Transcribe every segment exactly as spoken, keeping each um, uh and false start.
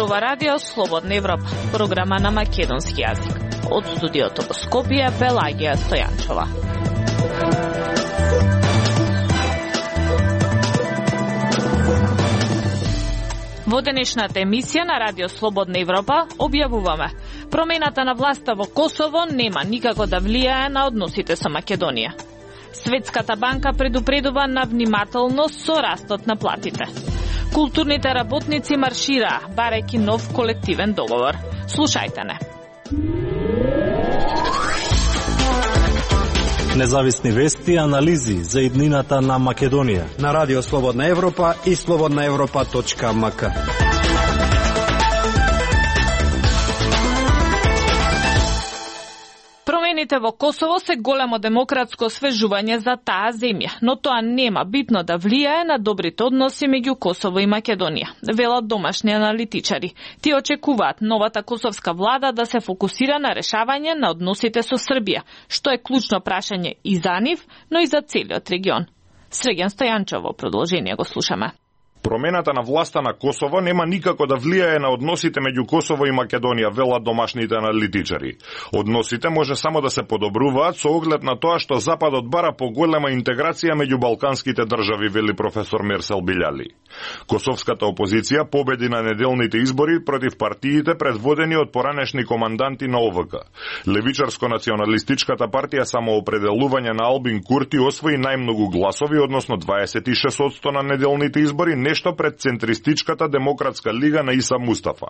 зборува Радио Слободна Европа, програма на македонски јазик. Од студиото во Скопје, Пелагија Стојанчова. Во денешната емисија на Радио Слободна Европа објавуваме: промената на власта во Косово нема никако да влијае на односите со Македонија. Светската банка предупредува на внимателност со растот на платите. Културните работници маршираа, барајќи нов колективен договор. Слушајте не. Независни вести и анализи за иднината на Македонија на Радио Слободна Европа и слободна европа точка ем ка. Промените во Косово се големо демократско освежување за таа земја, но тоа нема битно да влијае на добрите односи меѓу Косово и Македонија, велат домашни аналитичари. Тие очекуваат новата косовска влада да се фокусира на решавање на односите со Србија, што е клучно прашање и за нив, но и за целиот регион. Срегјан Стојанчов во продолжение го слушаме. Промената на власта на Косово нема никако да влијае на односите меѓу Косово и Македонија, велат домашните аналитичари. Односите може само да се подобруваат со оглед на тоа што Западот бара поголема интеграција меѓу балканските држави, вели професор Мерсел Билјали. Косовската опозиција победи на неделните избори против партиите предводени од поранешни команданти на О В К. Левичарско-националистичката партија Самоопределување на Албин Курти освои најмногу гласови, односно дваесет и шест одсто на неделните избори, нешто пред центристичката Демократска лига на Иса Мустафа.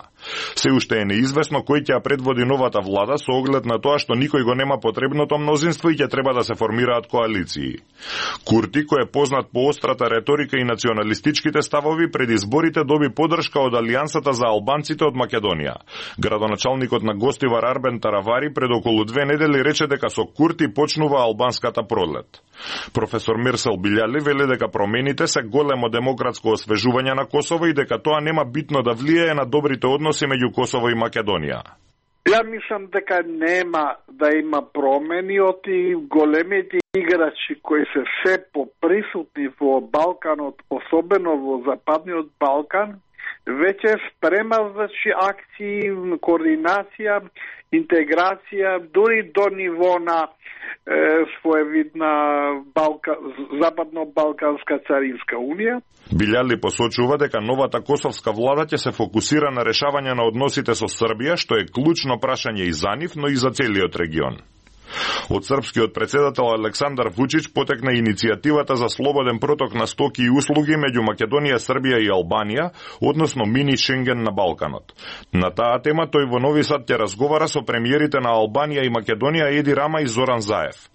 Се уште е неизвестно кој ќе ја предводи новата влада со оглед на тоа што никој го нема потребното мнозинство и ќе треба да се формираат коалиции. Курти, кој е познат по острата реторика и националистичките ставови, пред изборите доби поддршка од Алијансата за албанците од Македонија. Градоначалникот на Гостивар Арбен Таравари пред околу две недели рече дека со Курти почнува албанската пролет. Професор Мерсел Билјали вели дека промените се големо демократско освежување на Косово и дека тоа нема битно да влијае на добрите односи меѓу Косово и Македонија. Ја мислам дека нема да има промени од и големите играчи кои се се поприсутни во Балканот, особено во Западниот Балкан, веќе спремат значи акции, координација, интеграција, дури до ниво на е, своевидна Балка, Западно-Балканска царинска унија. Билјали посочува дека новата косовска влада ќе се фокусира на решавање на односите со Србија, што е клучно прашање и за нив, но и за целиот регион. Од српскиот председател Александар Вучич потекна иницијативата за слободен проток на стоки и услуги меѓу Македонија, Србија и Албанија, односно мини Шенген на Балканот. На таа тема тој во Нови Сад ќе разговара со премиерите на Албанија и Македонија Еди Рама и Зоран Заев.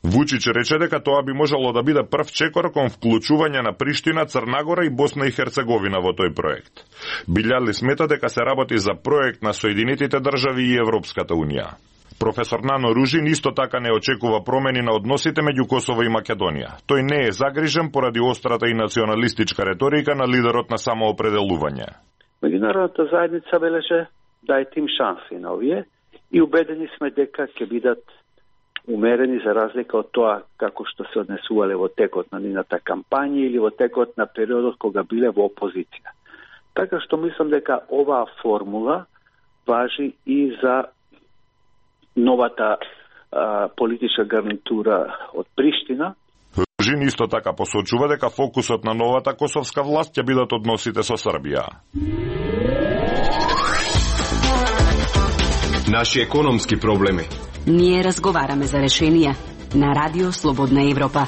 Вучич рече дека тоа би можело да биде прв чекор кон вклучување на Приштина, Црнагора и Босна и Херцеговина во тој проект. Билјали смета дека се работи за проект на Соединетите држави и Европската унија. Професор Нано Ружин исто така не очекува промени на односите меѓу Косово и Македонија. Тој не е загрижен поради острата и националистичка реторика на лидерот на Самоопределување. Меѓународната заедница велеше дајте им шанси на овие и убедени сме дека ќе бидат умерени за разлика од тоа како што се однесувале во текот на нината кампања или во текот на периодот кога биле во опозиција. Така што мислам дека оваа формула важи и за новата а, политичка гарнитура од Приштина. Ружин исто така посочува дека фокусот на новата косовска власт ќе бидат односите со Србија. Наши економски проблеми. Ние разговараме за решенија на Радио Слободна Европа.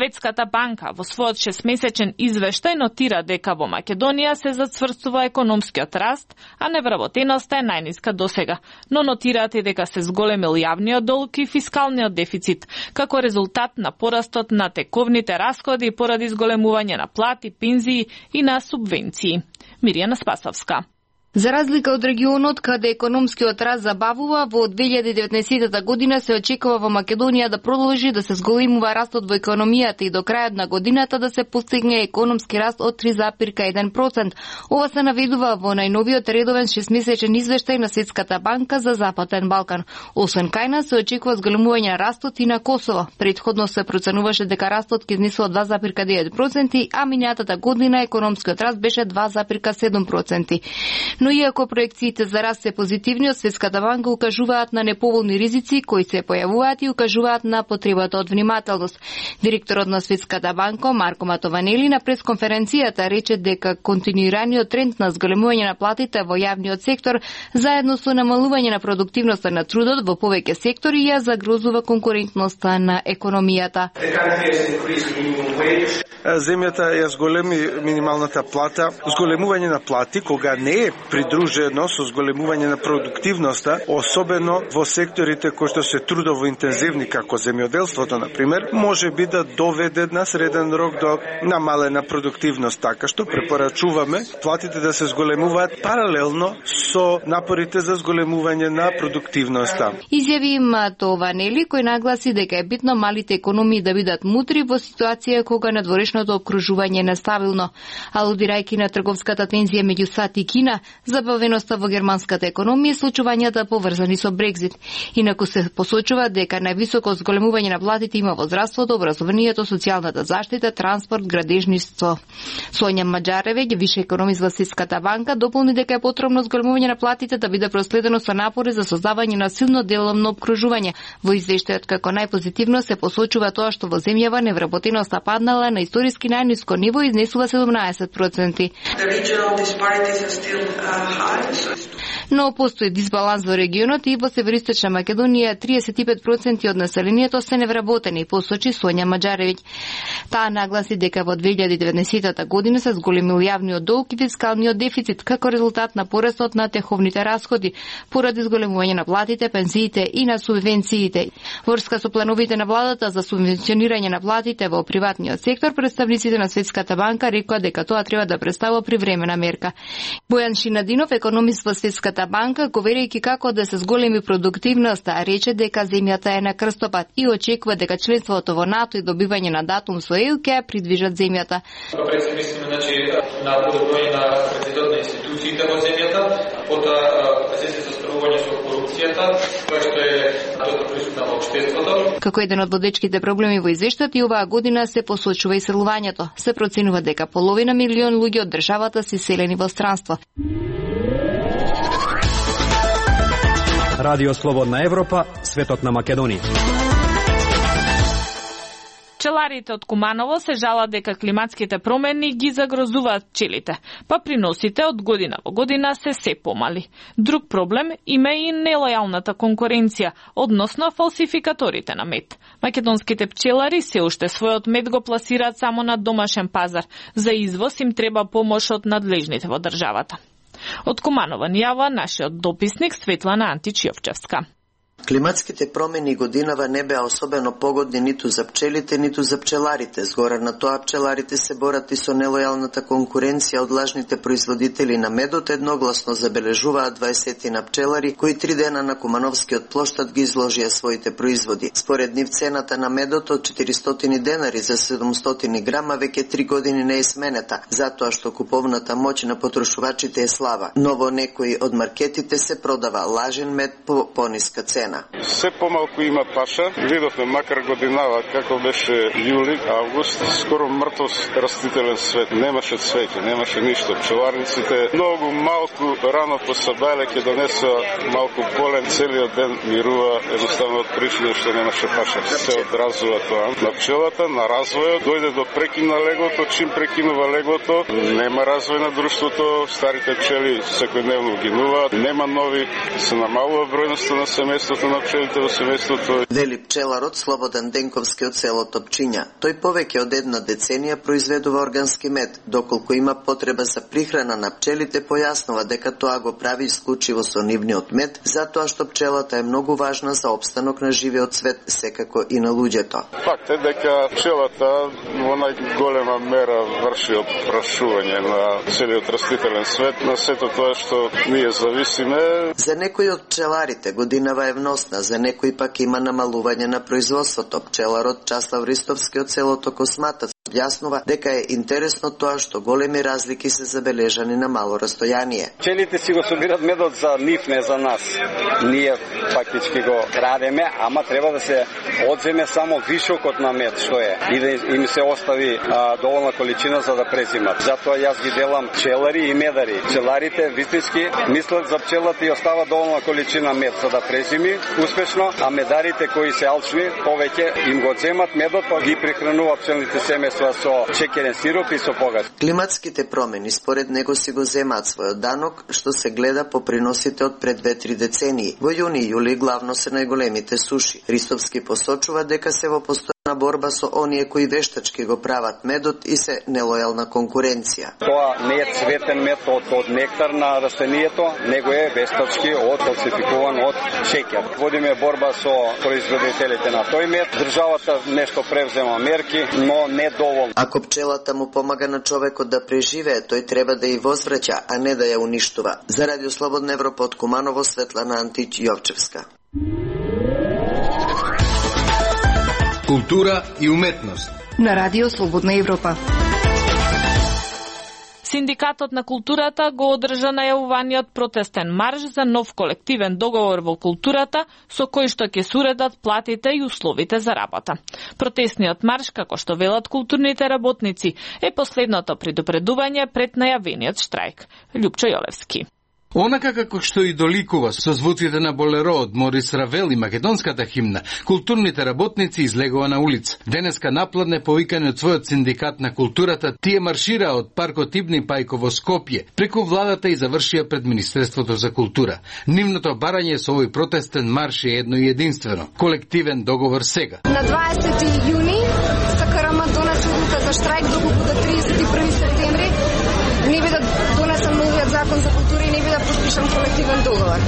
Светската банка во својот шестмесечен извештај нотира дека во Македонија се зацврстува економскиот раст, а невработеноста е најниска досега, но нотираат и дека се зголемил јавниот долг и фискалниот дефицит, како резултат на порастот на тековните расходи поради зголемување на плати, пензии и на субвенции. Мирјана Спасовска. За разлика од регионот каде економскиот раст забавува, во две илјади и деветнаесетта година се очекува во Македонија да продолжи да се зголемува растот во економијата и до крајот на годината да се постигне економски раст од три зарез еден процент. Ова се наведува во најновиот редовен шестмесечен извештај на Светската банка за Западен Балкан. Освен кај нас се очекува зголемување на растот и на Косово. Предходно се проценуваше дека растот ќе изнесува два зарез девет проценти, а минатата година економскиот раст беше два зарез седум проценти. Но иако проекциите за раст се позитивни, од Светската банка укажуваат на неповолни ризици кои се појавуваат и укажуваат на потребата од внимателност. Директорот на Светската банка Марко Матованели на пресконференцијата рече дека континуираниот тренд на зголемување на платите во јавниот сектор заедно со намалување на продуктивноста на трудот во повеќе сектори ја загрозува конкурентноста на економијата. Земјата ја зголеми минималната плата. Зголемување на плати кога не е придружено со зголемување на продуктивноста, особено во секторите кои што се трудово интензивни како земјоделството на пример, може би да доведе на среден рок до намалена продуктивност, така што препорачуваме платите да се зголемуваат паралелно со напорите за зголемување на продуктивноста. Изјави Матованели кој нагласи дека е битно малите економии да бидат мудри во ситуација кога надворешното обкружување е нестабилно. Алудирајќи на трговската тензија меѓу САД и Кина, забавеноста во германската економија и случувањата поврзани со Брекзит. Инаку се посочува дека највисоко зголемување на платите има во здравството, образованието, социјалната заштита, транспорт, градежништво. Сонја Маџаревеќ, више економист во Светската банка, дополни дека е потребно зголемување на платите да биде проследено со напори за создавање на силно деловно обкружување. Во извештајот како најпозитивно се посочува тоа што во земјава невработеноста паднала на историски најниско ниво и изнесува седумнаесет проценти. Но постои дисбаланс во регионот и во Североисточна Македонија триесет и пет проценти од населението се невработени, посочи Сонја Маџаревиќ. Таа нагласи дека во две илјади и деветнаесетта година се зголемил јавниот долг и фискалниот дефицит како резултат на порастот на теховните расходи, поради зголемување на платите, пензиите и на субвенциите. Врска со плановите на владата за субвенционирање на платите во приватниот сектор, представниците на Светската банка рекоа дека тоа треба да представува привремена мерка. Бојан Шинадинов, економист во Светската банка, говорејќи како да се зголеми продуктивноста, рече дека земјата е на крстопат и очекува дека членството во НАТО и добивање на датум со ЕУ ќе придвижат земјата. Пред се мислиме значи на подобрување на капацитетот на институциите во земјата, потоа се се справување со корупцијата, која што е доста присутна во општеството. Како еден од водечките проблеми во извештајот и оваа година се посочува иселувањето. Се проценува дека половина милион луѓе од државата се иселени во странство. Радио Слободна Европа, светот на Македонија. Пчеларите од Куманово се жалат дека климатските промени ги загрозуваат пчелите, па приносите од година во година се се помали. Друг проблем има и нелојалната конкуренција, односно фалсификаторите на мед. Македонските пчелари се уште својот мед го пласираат само на домашен пазар. За извоз им треба помош од надлежните во државата. Од Куманово ни јава нашиот дописник Светлана Антич-Јовчевска. Климатските промени годинава не беа особено погодни ниту за пчелите, ниту за пчеларите. Згора на тоа пчеларите се борат и со нелојалната конкуренција од лажните производители на медот. Едногласно забележуваат дваесет пчелари кои три дена на Кумановскиот плоштад ги изложија своите производи. Според нив цената на медот од четиристотини денари за седумстотини грама веќе три години не е сменета, затоа што куповната моќ на потрошувачите е слаба. Но во некои од маркетите се продава лажен мед по пониска цена. Се помалку има паша. Видовме макар годинава како беше јули, август, скоро мртов растителен свет. Немаше цвеќе, немаше ништо. Пчеларниците многу малку рано по сабајле ќе донесува малку полен, целиот ден мирува, едноставно од причина што немаше паша. Се одразува тоа. На пчелата, на развојот, дојде до прекин на леглото, чим прекинува леглото, нема развој на друштвото, старите пчели секојдневно гинуваат, нема нови, се намалува бројноста на семејството, работата на пчелите во семејството. Вели пчеларот Слободан Денковски од село Топчиња. Тој повеќе од една деценија произведува органски мед, доколку има потреба за прихрана на пчелите, појаснува дека тоа го прави исклучиво со нивниот мед, затоа што пчелата е многу важна за опстанок на живиот свет, секако и на луѓето. Факт е дека пчелата во најголема мера врши опрашување на целиот растителен свет, на сето тоа што ние зависиме. За некои од пчеларите годинава е вносна, за некои пак има намалување на производството. Пчеларот Часлав Ристовски од селото Косматац објаснува дека е интересно тоа што големи разлики се забележани на мало растојание. Пчелите си го собират медот за нив, не за нас. Ние фактички го крадеме, ама треба да се одземе само вишокот на мед што е и да им се остави а, доволна количина за да презимат. Затоа јас ги делам пчелари и медари. Пчеларите вистински мислат за пчелата и остава доволна количина мед за да презими успешно, а медарите кои се алчни повеќе им го земат медот, па ги прихрануваат пчелните семејства со чекерен сироп и со погас. Климатските промени според него си го земаат својот данок, што се гледа по приносите од пред две-три децении. Во јуни и јули главно се најголемите суши. Ристовски посочува дека се во постојна борба со оние кои вештачки го прават медот и се нелојална конкуренција. Тоа не е цветен мед од, од нектар на растението, него е вештачки од фалсификуван од шеќер. Водиме борба со производителите на тој мед. Државата нешто превзема мерки, но не доволно. Ако пчелата му помага на човекот да преживее, тој треба да ја возвраќа, а не да ја уништува. За Радио Слободна Европа од Куманово, Светлана Антич Јовчевска. Култура и уметност на Радио Слободна Европа. Синдикатот на културата го одржа најавуваниот протестен марш за нов колективен договор во културата со кој што ќе се уредат платите и условите за работа. Протестниот марш, како што велат културните работници, е последното предупредување пред најавениот штрајк. Љупчо Јолевски. Онака како што и доликува со звуците на болеро од Морис Равел и македонската химна, културните работници излегува на улица. Денеска напладне повикани од својот синдикат на културата, тие маршираа од паркот Ибни Пајко во Скопје, преку владата и завршија пред Министерството за култура. Нивното барање со овој протестен марш е едно и единствено. Колективен договор сега. На дваесети јуни СКРМ донесе одлука за штрајк доколку до тридесет и први септември не биде донесен новиот закон за култура и не биде подпишан колективен договор.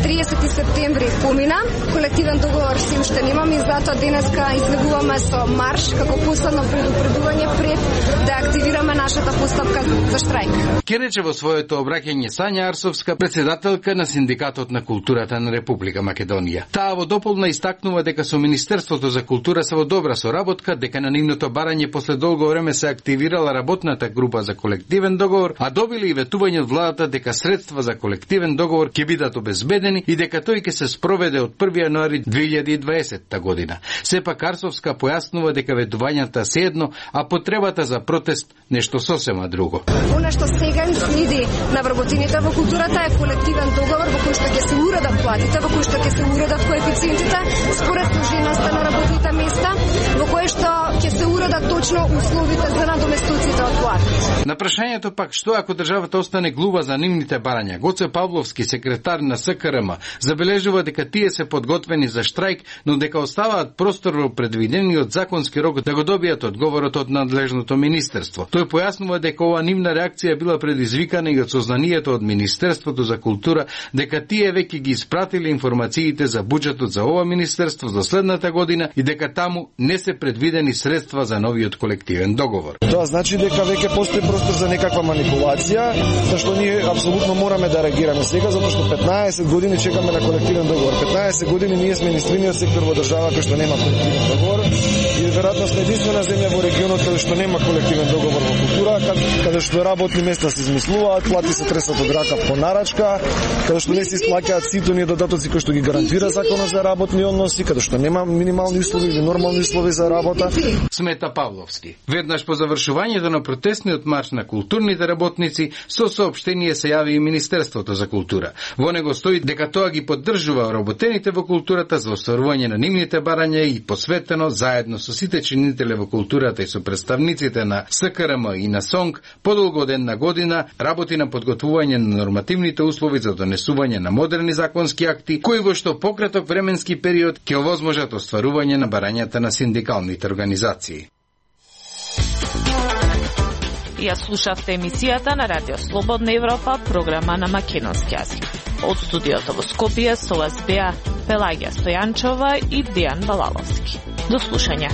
тридесети септември помина, колективен договор се уште немаме и затоа денеска излегуваме со марш како последно предупредување пред да активираме нашата постапка за штрајк. Ке рече во своето обраќање Сања Арсовска, председателка на Синдикатот на културата на Република Македонија. Таа во дополна истакнува дека со Министерството за култура се во добра соработка, дека на нивното барање после долго време се активирала работната група за колективен договор, а добили и ветување од владата дека средства за колективен договор ќе бидат обезбедени и дека тој ќе се спроведе од први јануари две илјади и дваесетта година. Сепак Арсовска појаснува дека ветувањата се едно, а потребата за протест нешто сосема друго. Она што сега им следи на вработените во културата е колективен договор во кој што ќе се уредат платите, во кој што ќе се уредат коефициентите според сложеноста на работните места, во кој што ќе се уредат точно условите за надоместуците од платите. На прашањето пак што ако државата остане глува за нивните барања, Гоце Павловски, секретар на СКРМ, забележува дека тие се подготвени за штрајк, но дека оставаат простор во предвидениот законски рок да го добијат одговорот од надлежното министерство. Тој појаснува дека ова нивна реакција била предизвикана и од сознанието од Министерството за култура дека тие веќе ги испратиле информациите за буџетот за ова министерство за следната година и дека таму не се предвидени средства за новиот колективен договор. Тоа значи дека веќе постои простор за некаква манипулација, зашто ние апсолутно мораме да реагираме сега, затоа што петнаесет години чекаме на колективен договор. петнаесет години ние сме единствениот сектор во држава кој што нема колективен договор и веројатно сме единствена земја во регионот каде што нема колективен договор во култура, каде што работни места се измислуваат, плати се тресат од рака по нарачка, каде што не се исплаќаат сите оние додатоци кои што ги гарантира законот за работни односи, каде што нема минимални услови или нормални услови за работа. Смета Павловски. Веднаш по завршувањето на протестниот марш на културните работници, со соопштение се јави и Министерството за култура. Во него стои дека тоа ги поддржува работените во културата за остварување на нивните барања и посветено заедно со сите чинители во културата и со представниците на С К Р М и на СОНГ подолго од една година работи на подготвување на нормативните услови за донесување на модерни законски акти, кои во што пократок временски период ќе овозможат остварување на барањата на синдикалните организации. Ја слушавте емисијата на Радио Слободна Европа, програма на македонски јазик. Од студиото во Скопје со вас беа Пелагија Стојанчова и Дејан Балаловски. До слушање.